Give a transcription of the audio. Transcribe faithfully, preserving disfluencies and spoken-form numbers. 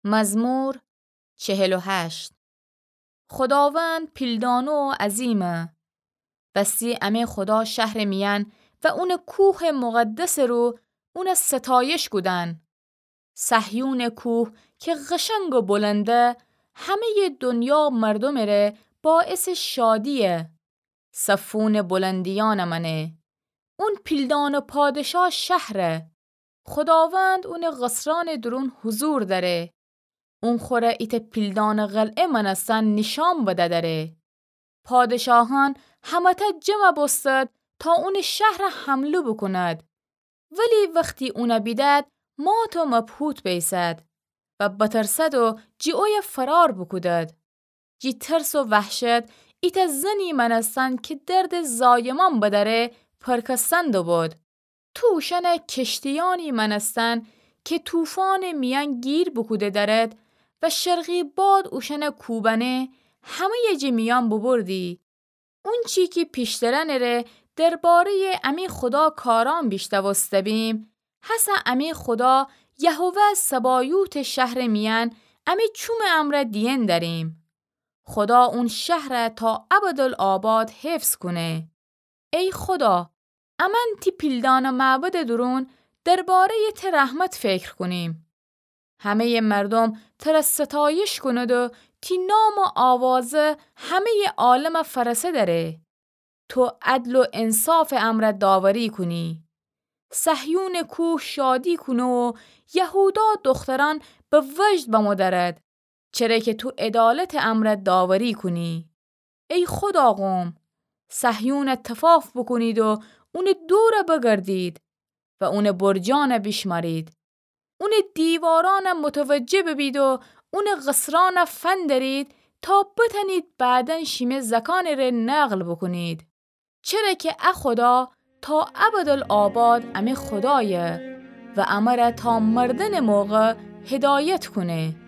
مزمور چهل و هشت. خوداوند پیلدانه و عظیمه. وستی امه خودا شهرٚ میأن و اونٚ کوهٚ مقدسٚ رو اون ستایش کودن. صهیونٚ کوه کی قشنگ و بلنده، همه‌یٚ دنیا مردومٚ ره باعثٚ شادییه. صفونٚ بلندیأن مأنه. اون پیلدانٚ پادشا شهره. خوداوند اونٚ قصرأنٚ دورون حضور دأره. اون خوره ایتأ پیلدانٚ قلعه مأنستن نیشأن بدأ دأره. پادشاهأن همه‌تأ جمع بوستد تا اونٚ شهر حمله بوکوند. ولی وختی اون بیدد، مات و مبهوت بیسد و بترسد و جی اویه فرار بوکودد. جی ترس و وحشت ایتأ زنی مأنستن کی دردٚ زایمان بدأره پرکستن دوبود. تو اوشأنٚ کشتیأنی مأنستن کی طوفانٚ میأن گیر بوکوده دأرد و شرقی باد اوشأنٚ کوبأنه، همه‌یٚ جٚه میأن بوبردی. اونچی کی پیشترأنٚ ره درباره‌یٚ امی خودا کارأن بیشنوسته بیم، هسه امی خودا یهوه صبایوتٚ شهرٚ میأن امی چومٚ امرأ دیئن دأریم. خودا اون شهر تا ابدالآباد حفظ کونه. ای خودا، امأن تی پیلدانٚ معبدٚ دورون درباره‌یٚ ته رحمت فکر کونیم. همه‌یٚ مردوم تره ستایش کونید و تی نام و آوازه همه‌یٚ عالم فأرسه دأره. تو عدل و انصافٚ امرأ داوری کونی. صهیونٚ کوه شادی کونه و یهودا دخترأن به وجد بمو دأرد، چره کی تو عدالتٚ امرأ داوری کونی. ای خودا قوم، صهیون تفاف بوکونید و اونٚ دور بگردید و اونٚ برجأن بیشمأرید. اونٚ دیوارأن متوجه ببید و اونٚ قصرأن فندرید تا بتأنید بعداً شیمه زأکأنٚ ره نقل بوکونید. چره کی ا خودا تا ابدالآباد امه خودایه و امره تا مردنٚ موقع هدایت کونه.